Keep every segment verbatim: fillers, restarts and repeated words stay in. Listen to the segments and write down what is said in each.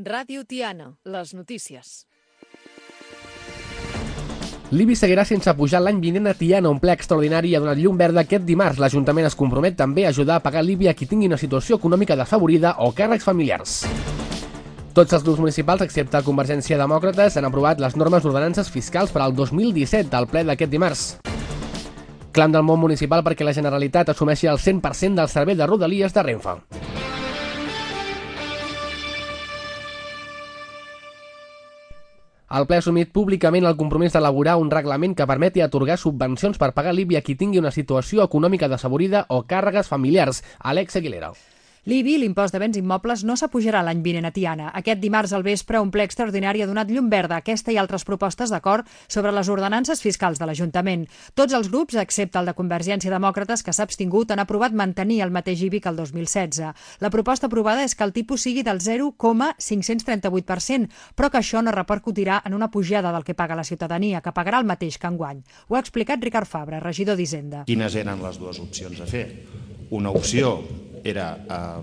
Ràdio Tiana, les notícies. L'I B I seguirà sense pujar l'any vinent a Tiana. Un ple extraordinari ha donat llum verda aquest dimarts. L'Ajuntament es compromet també a ajudar a pagar l'I B I a qui tingui una situació econòmica desafavorida o càrrecs familiars. Tots els grups municipals, excepte Convergència Demòcrates, han aprovat les normes d'ordenances fiscals per al dos mil disset al ple d'aquest dimarts. Clam del món municipal perquè la Generalitat assumeixi el cent per cent del servei de Rodalies de Renfe. El ple ha assumit públicament el compromís d'elaborar un reglament que permeti atorgar subvencions per pagar l'I B I a qui tingui una situació econòmica desafavorida o càrregues familiars. Àlex Aguilera. L'I B I, l'impost de béns immobles, no s'apujarà l'any vinent a Tiana. Aquest dimarts al vespre, un ple extraordinari ha donat llum verda a aquesta i altres propostes d'acord sobre les ordenances fiscals de l'Ajuntament. Tots els grups, excepte el de Convergència Demòcrates, que s'ha abstingut, han aprovat mantenir el mateix I B I que el dos mil setze. La proposta aprovada és que el tipus sigui del zero coma cinc-cents trenta-vuit per cent, però que això no repercutirà en una pujada del que paga la ciutadania, que pagarà el mateix que enguany. Ho ha explicat Ricard Fabra, regidor d'Hisenda. Quines eren les dues opcions a fer? Una opció era eh,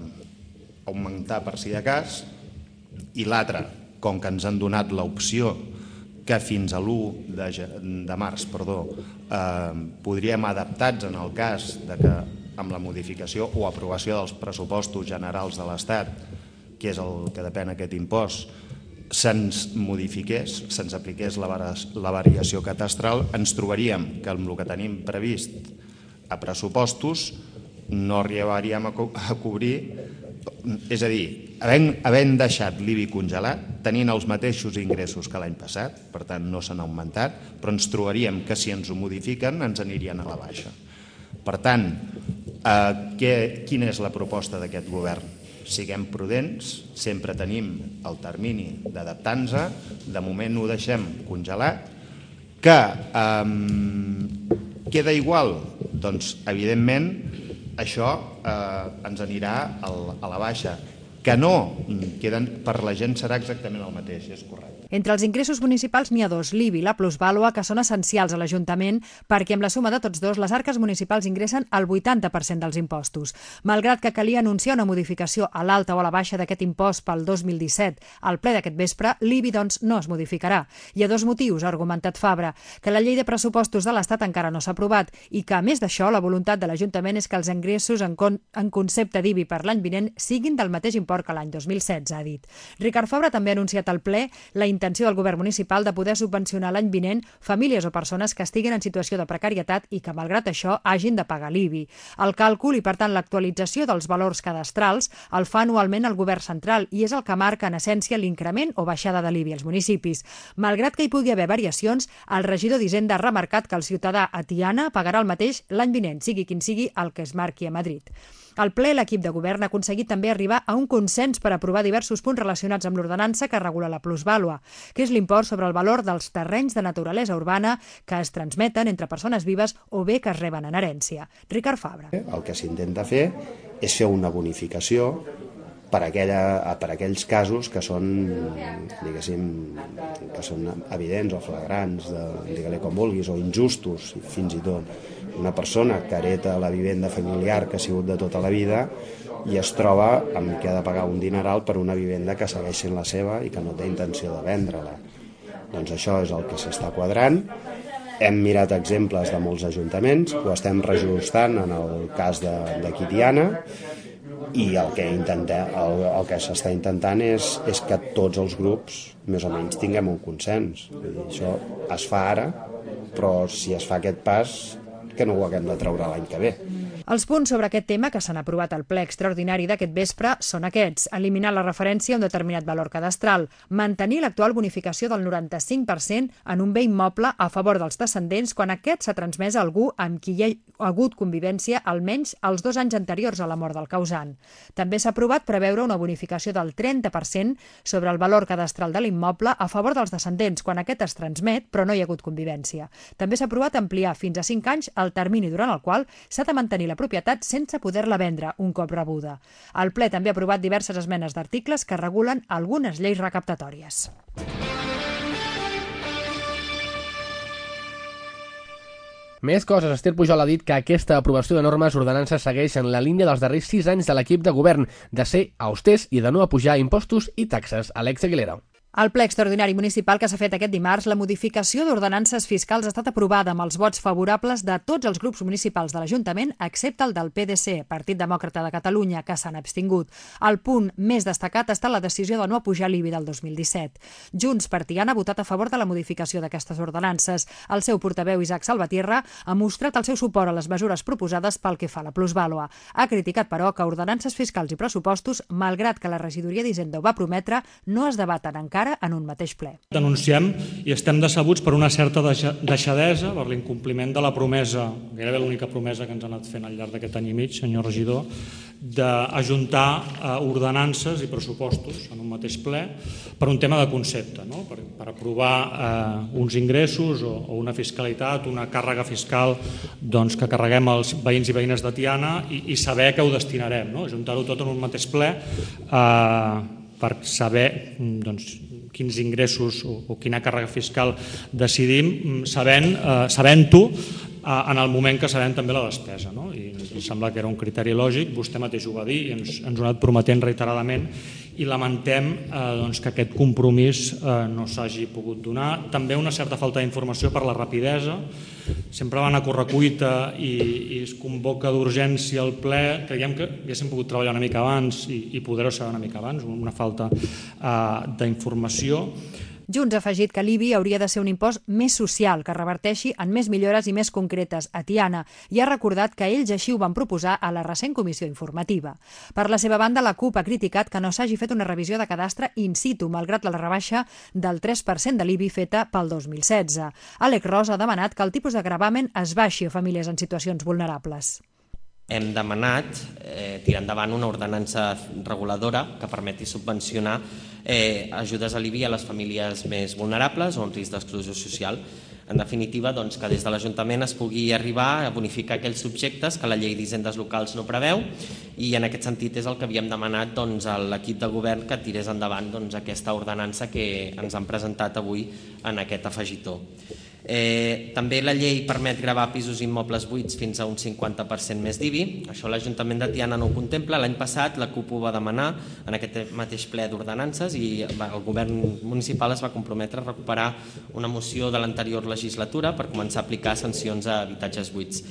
augmentar per si de cas, i l'altra, com que ens han donat l'opció que fins a l'u de març perdó, eh, podríem adaptar-nos en el cas de que amb la modificació o aprovació dels pressupostos generals de l'Estat, que és el que depèn aquest impost, se'ns modifiqués, se'ns apliqués la, la variació catastral, ens trobaríem que amb el que tenim previst a pressupostos no arribaríem a, co a cobrir, és a dir, havent, havent deixat l'I B I congelat, tenint els mateixos ingressos que l'any passat, per tant no s'han augmentat, però ens trobaríem que si ens ho modifiquen ens anirien a la baixa. Per tant, eh, què, quina és la proposta d'aquest govern? Siguem prudents, sempre tenim el termini d'adaptar-nos, de moment ho deixem congelat, que eh, queda igual? Doncs, evidentment, això eh, ens anirà al, a la baixa. Que no, queden, per la gent serà exactament el mateix, és correcte. Entre els ingressos municipals n'hi ha dos, l'I B I i la plusvàlua, que són essencials a l'Ajuntament perquè amb la suma de tots dos les arques municipals ingressen el vuitanta per cent dels impostos. Malgrat que calia anunciar una modificació a l'alta o a la baixa d'aquest impost pel dos mil disset al ple d'aquest vespre, l'I B I doncs no es modificarà. Hi ha dos motius, ha argumentat Fabra, que la llei de pressupostos de l'Estat encara no s'ha aprovat i que, a més d'això, la voluntat de l'Ajuntament és que els ingressos en, con en concepte d'I B I per l'any vinent siguin del mateix import que l'any dos mil setze, ha dit. Ricard Fabra també ha anunciat al ple la intenció del govern municipal de poder subvencionar l'any vinent famílies o persones que estiguin en situació de precarietat i que, malgrat això, hagin de pagar l'I B I. El càlcul i, per tant, l'actualització dels valors cadastrals el fa anualment el govern central i és el que marca, en essència, l'increment o baixada de l'I B I als municipis. Malgrat que hi pugui haver variacions, el regidor d'Hisenda ha remarcat que el ciutadà a Tiana pagarà el mateix l'any vinent, sigui quin sigui el que es marqui a Madrid. Al ple, l'equip de govern ha aconseguit també arribar a un consens per aprovar diversos punts relacionats amb l'ordenança que regula la plusvàlua, que és l'import sobre el valor dels terrenys de naturalesa urbana que es transmeten entre persones vives o bé que es reben en herència. Ricard Fabra. El que s'intenta fer és fer una bonificació per, aquella, per aquells casos que són, diguéssim, que són evidents o flagrants, de, digue-li com vulguis, o injustos, fins i tot. Una persona que hereta la vivenda familiar que ha sigut de tota la vida i es troba amb que ha de pagar un dineral per una vivenda que segueix sent la seva i que no té intenció de vendre-la. Doncs això és el que s'està quadrant. Hem mirat exemples de molts ajuntaments, ho estem reajustant en el cas de, de Tiana, i el que, intenta, el, el que s'està intentant és, és que tots els grups més o menys tinguem un consens. Vull dir, això es fa ara, però si es fa aquest pas, que no ho haguem de treure l'any que ve. Els punts sobre aquest tema que s'han aprovat al ple extraordinari d'aquest vespre són aquests: eliminar la referència a un determinat valor cadastral, mantenir l'actual bonificació del noranta-cinc per cent en un bé immoble a favor dels descendents quan aquest s'ha transmès a algú amb qui hi ha hagut convivència almenys els dos anys anteriors a la mort del causant. També s'ha aprovat preveure una bonificació del trenta per cent sobre el valor cadastral de l'immoble a favor dels descendents quan aquest es transmet però no hi ha hagut convivència. També s'ha aprovat ampliar fins a cinc anys el termini durant el qual s'ha de mantenir la propietat sense poder-la vendre un cop rebuda. El ple també ha aprovat diverses esmenes d'articles que regulen algunes lleis recaptatòries. Més coses. Esther Pujol ha dit que aquesta aprovació de normes ordenances segueix en la línia dels darrers sis anys de l'equip de govern, de ser austers i de no apujar impostos i taxes. Àlex Aguilera. Al ple extraordinari municipal que s'ha fet aquest dimarts, la modificació d'ordenances fiscals ha estat aprovada amb els vots favorables de tots els grups municipals de l'Ajuntament, excepte el del P D C, Partit Demòcrata de Catalunya, que s'han abstingut. El punt més destacat està la decisió de no apujar l'I B I del dos mil disset. Junts per Tiana ha votat a favor de la modificació d'aquestes ordenances. El seu portaveu, Isaac Salvatierra, ha mostrat el seu suport a les mesures proposades pel que fa a la plusvàlua. Ha criticat, però, que ordenances fiscals i pressupostos, malgrat que la regidoria d'Hisenda ho va prometre, no es debaten encara en un mateix ple. Denunciem i estem decebuts per una certa deixadesa, per l'incompliment de la promesa, gairebé l'única promesa que ens ha anat fent al llarg d'aquest any i mig, senyor regidor, d'ajuntar ordenances i pressupostos en un mateix ple per un tema de concepte, no? per, per aprovar eh, uns ingressos o, o una fiscalitat, una càrrega fiscal doncs, que carreguem els veïns i veïnes de Tiana i, i saber que ho destinarem, no? Ajuntar-ho tot en un mateix ple eh, per saber doncs, quins ingressos o, o quina càrrega fiscal decidim, sabent, eh, sabent-ho eh, en el moment que sabem també la despesa. No? I ens sembla que era un criteri lògic, vostè mateix ho va dir i ens, ens ho ha anat prometent reiteradament i lamentem eh, doncs, que aquest compromís eh, no s'hagi pogut donar. També una certa falta d'informació per la rapidesa. Sempre van a correcuita i, i es convoca d'urgència al ple. Creiem que haguéssim pogut treballar una mica abans i, i poder-ho saber una mica abans, una falta eh, d'informació. Junts ha afegit que l'I B I hauria de ser un impost més social, que reverteixi en més millores i més concretes a Tiana, i ha recordat que ells així ho van proposar a la recent comissió informativa. Per la seva banda, la CUP ha criticat que no s'hagi fet una revisió de cadastre in situ, malgrat la rebaixa del tres per cent de l'I B I feta pel dos mil setze. Àlex Ros ha demanat que el tipus de gravamen es baixi a famílies en situacions vulnerables. Hem demanat eh, tirar endavant una ordenança reguladora que permeti subvencionar eh, ajudes a l'I B I a les famílies més vulnerables o en risc d'exclusió social. En definitiva, doncs, que des de l'Ajuntament es pugui arribar a bonificar aquells subjectes que la llei d'hisendes locals no preveu i en aquest sentit és el que havíem demanat doncs, a l'equip de govern que tirés endavant doncs, aquesta ordenança que ens han presentat avui en aquest afegitó. Eh, també la llei permet gravar pisos immobles buits fins a un cinquanta per cent més d'I B I. Això l'Ajuntament de Tiana no ho contempla. L'any passat la CUP ho va demanar en aquest mateix ple d'ordenances i el govern municipal es va comprometre a recuperar una moció de l'anterior legislatura per començar a aplicar sancions a habitatges buits.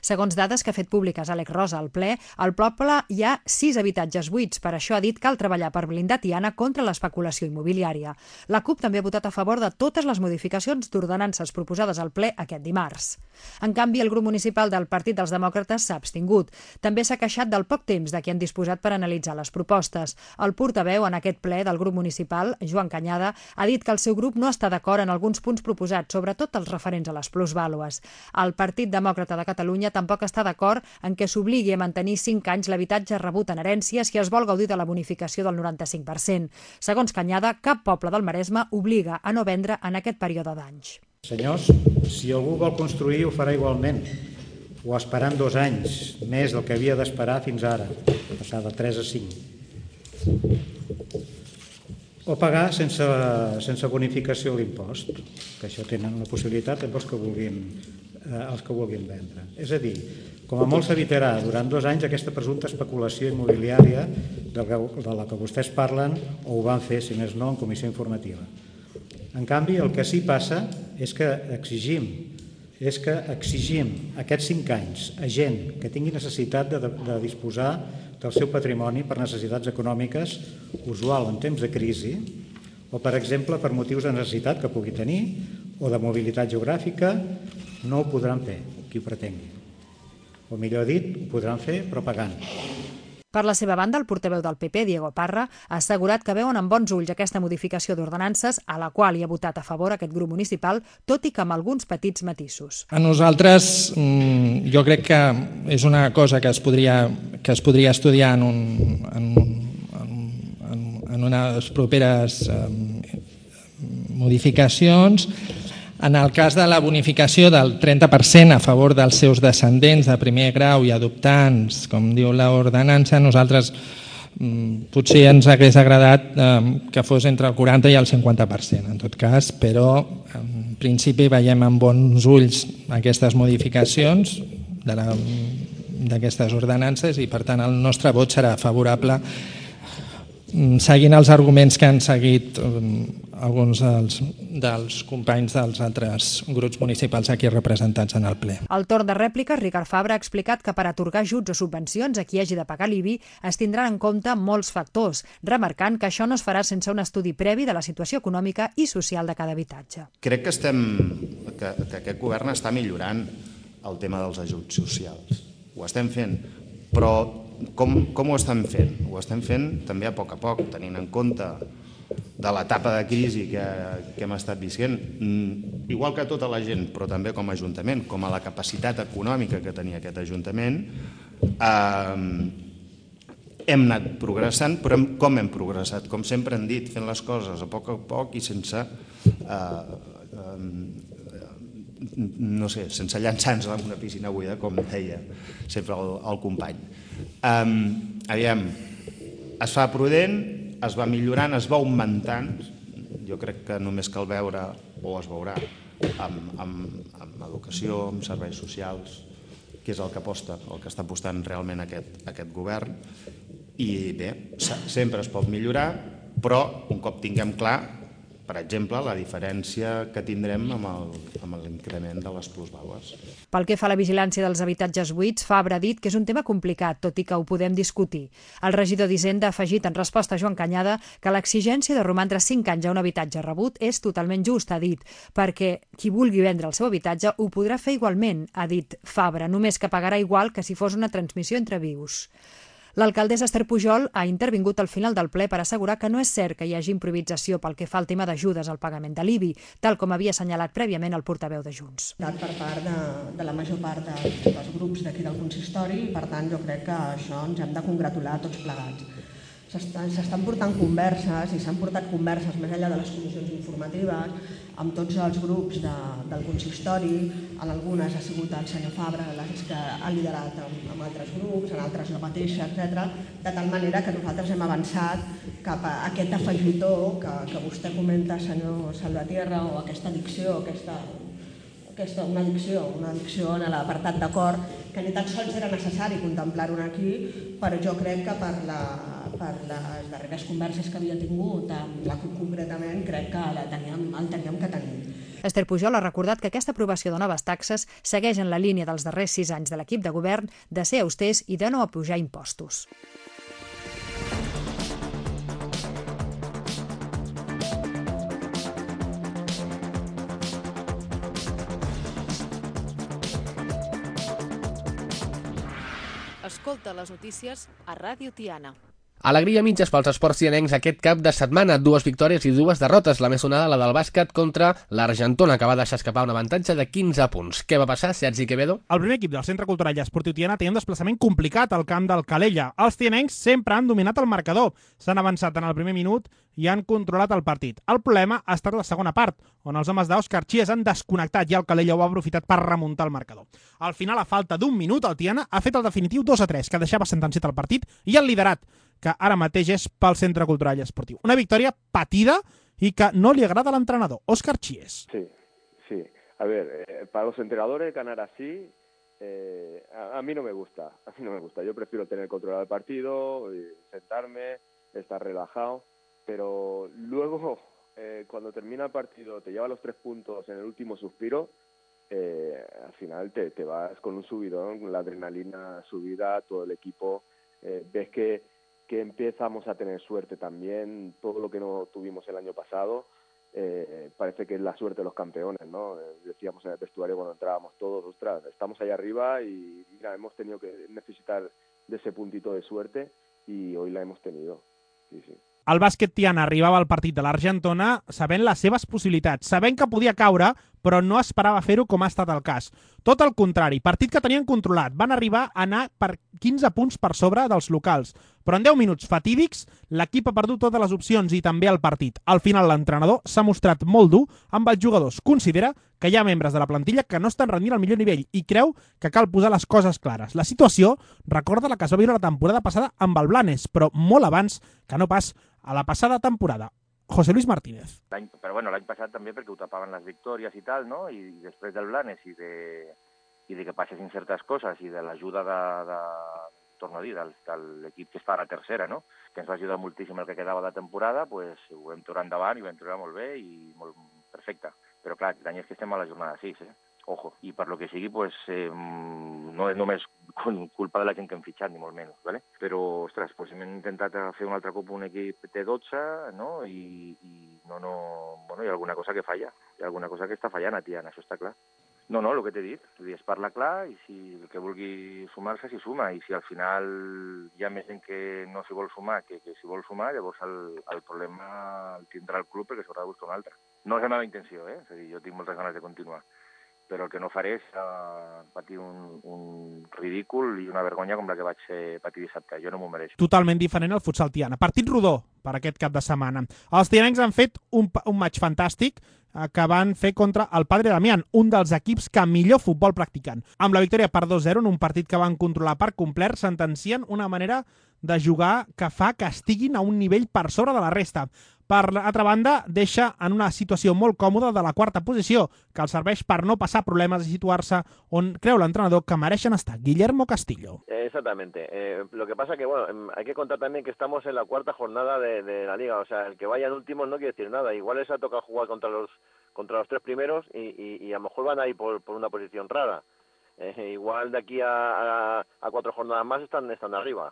Segons dades que ha fet públiques Àlex Ros al ple, al poble hi ha sis habitatges buits. Per això ha dit que cal treballar per blindar Tiana contra l'especulació immobiliària. La CUP també ha votat a favor de totes les modificacions d'ordenances proposades al ple aquest dimarts. En canvi, el grup municipal del Partit dels Demòcrates s'ha abstingut. També s'ha queixat del poc temps de què han disposat per analitzar les propostes. El portaveu en aquest ple del grup municipal, Joan Cañada, ha dit que el seu grup no està d'acord en alguns punts proposats, sobretot els referents a les plusvàlues. El Partit Demòcrata de Catalunya tampoc està d'acord en què s'obligui a mantenir cinc anys l'habitatge rebut en herència si es vol gaudir de la bonificació del noranta-cinc per cent. Segons Cañada, cap poble del Maresme obliga a no vendre en aquest període d'anys. Senyors, si algú vol construir ho farà igualment, o esperant dos anys, més del que havia d'esperar fins ara, passar de tres a cinc. O pagar sense, sense bonificació l'impost, que això tenen una possibilitat amb els que vulguin els que vulguin vendre. És a dir, com a molt s'evitarà durant dos anys aquesta presumpta especulació immobiliària de la que vostès parlen o ho van fer, si més no, en comissió informativa. En canvi, el que sí passa és que exigim és que exigim aquests cinc anys a gent que tingui necessitat de, de disposar del seu patrimoni per necessitats econòmiques usual en temps de crisi o, per exemple, per motius de necessitat que pugui tenir o de mobilitat geogràfica, no ho podran fer, qui ho pretengui. O millor dit, ho podran fer, però pagant. Per la seva banda, el portaveu del P P, Diego Parra, ha assegurat que veuen amb bons ulls aquesta modificació d'ordenances a la qual hi ha votat a favor aquest grup municipal, tot i que amb alguns petits matisos. A nosaltres, jo crec que és una cosa que es podria, que es podria estudiar en, un, en, en, en unes properes modificacions. En el cas de la bonificació del trenta per cent a favor dels seus descendents de primer grau i adoptants, com diu l'ordenança, nosaltres potser ens hagués agradat que fos entre el quaranta i el cinquanta per cent, en tot cas, però principi veiem amb bons ulls aquestes modificacions de la, d'aquestes ordenances i per tant el nostre vot serà favorable seguint els arguments que han seguit alguns dels, dels companys dels altres grups municipals aquí representats en el ple. Al torn de rèpliques, Ricard Fabra ha explicat que per atorgar ajuts o subvencions a qui hagi de pagar l'I B I es tindran en compte molts factors, remarcant que això no es farà sense un estudi previ de la situació econòmica i social de cada habitatge. Crec que, estem, que, que aquest govern està millorant el tema dels ajuts socials. Ho estem fent, però com, com ho estem fent? Ho estem fent també a poc a poc, tenint en compte de l'etapa de crisi que, que hem estat visquent, igual que tota la gent, però també com a Ajuntament, com a la capacitat econòmica que tenia aquest Ajuntament, eh, hem anat progressant, però hem, com hem progressat? Com sempre hem dit, fent les coses a poc a poc i sense, eh, eh, no sé, sense llançar-nos en una piscina buida, com deia sempre el, el company. Eh, aviam, es fa prudent, es va millorant, es va augmentant, jo crec que només cal veure, o es veurà, amb, amb, amb educació, amb serveis socials, que és el que aposta, el que està apostant realment aquest, aquest govern, i bé, sempre es pot millorar, però un cop tinguem clar, per exemple, la diferència que tindrem amb el, amb l'increment de les plusvàlues. Pel que fa a la vigilància dels habitatges buits, Fabra ha dit que és un tema complicat, tot i que ho podem discutir. El regidor d'Hisenda ha afegit en resposta a Joan Canyada que l'exigència de romandre cinc anys a un habitatge rebut és totalment just, ha dit, perquè qui vulgui vendre el seu habitatge ho podrà fer igualment, ha dit Fabra, només que pagarà igual que si fos una transmissió entre vius. L'alcaldessa Esther Pujol ha intervingut al final del ple per assegurar que no és cert que hi hagi improvisació pel que fa al tema d'ajudes al pagament de l'I B I, tal com havia assenyalat prèviament el portaveu de Junts. Per part de, de la major part de, dels grups d'aquí del consistori, per tant jo crec que això ens hem de congratular tots plegats. S'estan portant converses i s'han portat converses més enllà de les comissions informatives amb tots els grups de, del consistori, en algunes ha sigut el senyor Fabra que ha liderat amb, amb altres grups, en altres la mateixa, etcètera, de tal manera que nosaltres hem avançat cap a aquest afegitó que, que vostè comenta, senyor Salvatierra, o aquesta addicció, aquesta, aquesta, una addicció, una addicció en l'apartat d'acord, que ni tan sols era necessari contemplar-ho aquí, però jo crec que per, la, per les darreres converses que havia tingut amb la C U P concretament, crec que la teníem, el teníem que tenir. Esther Pujol ha recordat que aquesta aprovació de noves taxes segueix en la línia dels darrers sis anys de l'equip de govern de ser austers i de no apujar impostos. Escolta les notícies a Ràdio Tiana. Alegria mitges pels esports tianencs aquest cap de setmana. Dues victòries i dues derrotes. La més sonada, la del bàsquet contra l'Argentona, que va deixar escapar un avantatge de quinze punts. Què va passar, Sergi Quevedo? El primer equip del Centre Cultural i Esportiu Tiana té un desplaçament complicat al camp del Calella. Els tianencs sempre han dominat el marcador. S'han avançat en el primer minut i han controlat el partit. El problema ha estat la segona part, on els homes d'Òscar Chies han desconnectat i el Calella ho ha aprofitat per remuntar el marcador. Al final, a falta d'un minut, el Tiana ha fet el definitiu dos a tres, que deixava sentenciat el partit, i el liderat, que ara mateix és pel Centre Cultural i Esportiu. Una victòria patida i que no li agrada a l'entrenador, Òscar Chies. Sí, sí. A ver, eh, para los entrenadores ganar así, eh, a, a mí no me gusta. A mí no me gusta. Yo prefiero tener controlado el partido, sentarme, estar relajado, pero luego, eh, cuando termina el partido, te lleva los tres puntos en el último suspiro, eh, al final te, te vas con un subidón, la adrenalina subida, todo el equipo, eh, ves que que empezamos a tener suerte también, todo lo que no tuvimos el año pasado, eh, parece que es la suerte de los campeones, ¿no? Eh, decíamos en el vestuario cuando entrábamos todos, ostras, estamos ahí arriba y mira, hemos tenido que necesitar de ese puntito de suerte y hoy la hemos tenido, sí, sí. El bàsquet Tiana arribava al partit de l'Argentona sabent les seves possibilitats, sabent que podia caure, però no esperava fer-ho com ha estat el cas. Tot el contrari, partit que tenien controlat. Van arribar a anar per quinze punts per sobre dels locals. Però en deu minuts fatídics, l'equip ha perdut totes les opcions i també el partit. Al final, l'entrenador s'ha mostrat molt dur amb els jugadors. Considera que hi ha membres de la plantilla que no estan rendint al millor nivell i creu que cal posar les coses clares. La situació recorda la que es va viure la temporada passada amb el Blanes, però molt abans que no pas a la passada temporada. José Luis Martínez. Però bueno, l'any passat també perquè ho tapaven les victòries i tal, no? I després del Blanes i de, i de que passessin certes coses i de l'ajuda de, de, torno a dir, del, de l'equip que està a la tercera, no? Que ens va ajudar moltíssim el que quedava de temporada, pues, ho vam tirar endavant i ho vam tirar molt bé i molt perfecte. Però clar, l'any és que estem a la jornada sis, eh? Ojo, i per lo que sigui, pues, eh, no és només culpa de la gent que hem fitxat, ni molt menys, ¿vale? Però, ostres, pues, hem intentat fer un altre cop un equip de dotze, no? I, i no, no, bueno, hi ha alguna cosa que falla, hi ha alguna cosa que està fallant a Tiana, això està clar. No, no, el que t'he dit, es parla clar i si el que vulgui sumar-se s'hi suma i si al final hi ha més gent que no s'hi vol sumar que, que s'hi vol sumar, llavors el, el problema el tindrà el club perquè s'haurà de buscar un altre. No és la meva intenció, eh? És a dir, jo tinc moltes ganes de continuar, però el que no faré és uh, patir un, un ridícul i una vergonya com la que vaig eh, patir dissabte. Jo no m'ho mereixo. Totalment diferent al futsal Tiana. Partit rodó per aquest cap de setmana. Els tianencs han fet un, un match fantàstic eh, que van fer contra el Padre Damián, un dels equips que millor futbol practicant. Amb la victòria per dos zero en un partit que van controlar per complet, sentencien una manera de jugar que fa que estiguin a un nivell per sobre de la resta. Per altra banda, deixa en una situació molt còmoda de la quarta posició, que els serveix per no passar problemes i situar-se on creu l'entrenador que mereixen estar. Guillermo Castillo. Exactamente. Eh, lo que pasa que, bueno, hay que contar también que estamos en la cuarta jornada de, de la liga. O sea, el que vaya en último no quiere decir nada. Igual les ha tocado jugar contra los contra los tres primeros y, y, y a lo mejor van a ir por, por una posición rara. Eh, igual de aquí a, a, a cuatro jornadas más están, están arriba.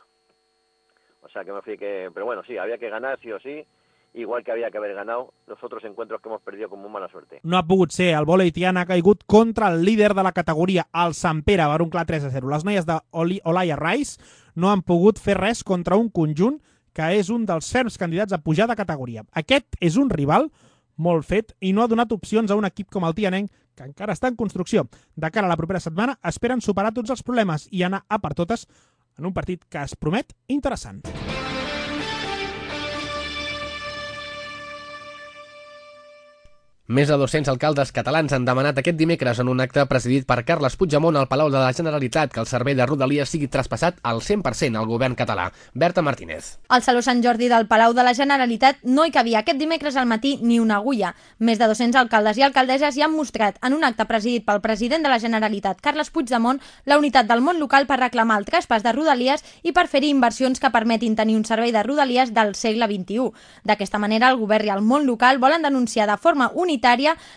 O sea, que me fui que... Pero bueno, sí, había que ganar sí o sí. Igual que havia que haver ganado los otros encuentros que hemos perdido con muy mala suerte. No ha pogut ser. El vòlei Tiana ha caigut contra el líder de la categoria, el Sant Pere, per un clar tres a zero. Les noies d'Olaya Rice no han pogut fer res contra un conjunt que és un dels ferms candidats a pujar de categoria. Aquest és un rival molt fet i no ha donat opcions a un equip com el tianenc, que encara està en construcció. De cara a la propera setmana esperen superar tots els problemes i anar a per totes en un partit que es promet interessant. Més de dos-cents alcaldes catalans han demanat aquest dimecres en un acte presidit per Carles Puigdemont al Palau de la Generalitat que el servei de Rodalies sigui traspassat al cent per cent al govern català. Berta Martínez. Al Saló Sant Jordi del Palau de la Generalitat no hi cabia aquest dimecres al matí ni una agulla. Més de dos-cents alcaldes i alcaldesses hi han mostrat en un acte presidit pel president de la Generalitat, Carles Puigdemont, la unitat del món local per reclamar el traspàs de Rodalies i per fer-hi inversions que permetin tenir un servei de Rodalies del segle vint-i-u. D'aquesta manera, el govern i el món local volen denunciar de forma unitària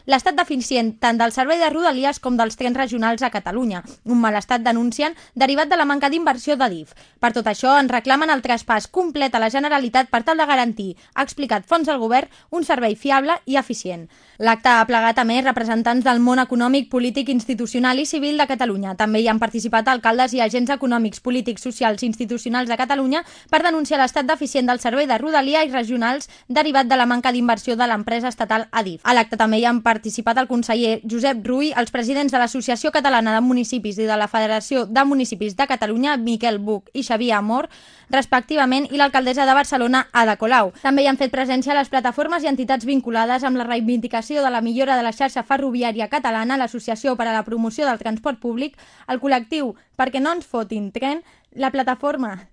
l'estat deficient tant del servei de Rodalies com dels trens regionals a Catalunya, un malestat denuncien derivat de la manca d'inversió d'Adif. Per tot això, en reclamen el traspàs complet a la Generalitat per tal de garantir, ha explicat fonts del govern, un servei fiable i eficient. L'acte ha plegat a més representants del món econòmic, polític, institucional i civil de Catalunya. També hi han participat alcaldes i agents econòmics, polítics, socials i institucionals de Catalunya per denunciar l'estat deficient del servei de Rodalies i regionals derivat de la manca d'inversió de l'empresa estatal Adif. A l'acte també hi han participat el conseller Josep Rull, els presidents de l'Associació Catalana de Municipis i de la Federació de Municipis de Catalunya, Miquel Buch i Xavier Amor, respectivament, i l'alcaldessa de Barcelona, Ada Colau. També hi han fet presència les plataformes i entitats vinculades amb la reivindicació de la millora de la xarxa ferroviària catalana, l'Associació per a la Promoció del Transport Públic, el col·lectiu Perquè no ens fotin tren, la plataforma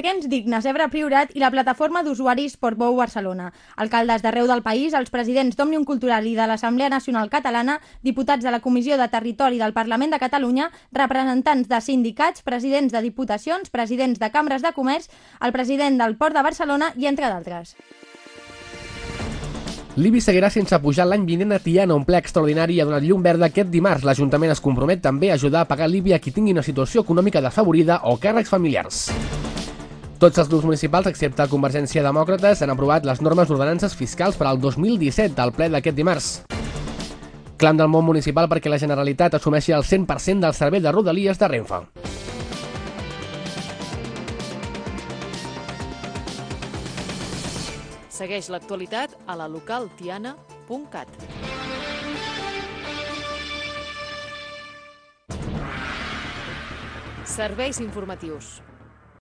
Trens Dignes Ebre Priorat i la plataforma d'usuaris Portbou Barcelona. Alcaldes d'arreu del país, els presidents d'Òmnium Cultural i de l'Assemblea Nacional Catalana, diputats de la Comissió de Territori del Parlament de Catalunya, representants de sindicats, presidents de diputacions, presidents de cambres de comerç, el president del Port de Barcelona i entre d'altres. L'Ibi seguirà sense pujar l'any vinent a Tiana, un ple extraordinari i ha donat llum verda aquest dimarts. L'Ajuntament es compromet també a ajudar a pagar l'Ibi a qui tingui una situació econòmica desafavorida o càrrecs familiars. Tots els grups municipals, excepte Convergència Demòcrates, han aprovat les normes d'ordenances fiscals per al dos mil disset al ple d'aquest dimarts. Clam del món municipal perquè la Generalitat assumeixi el cent per cent del servei de Rodalies de Renfe. Segueix l'actualitat a la local tiana punt cat. Serveis informatius.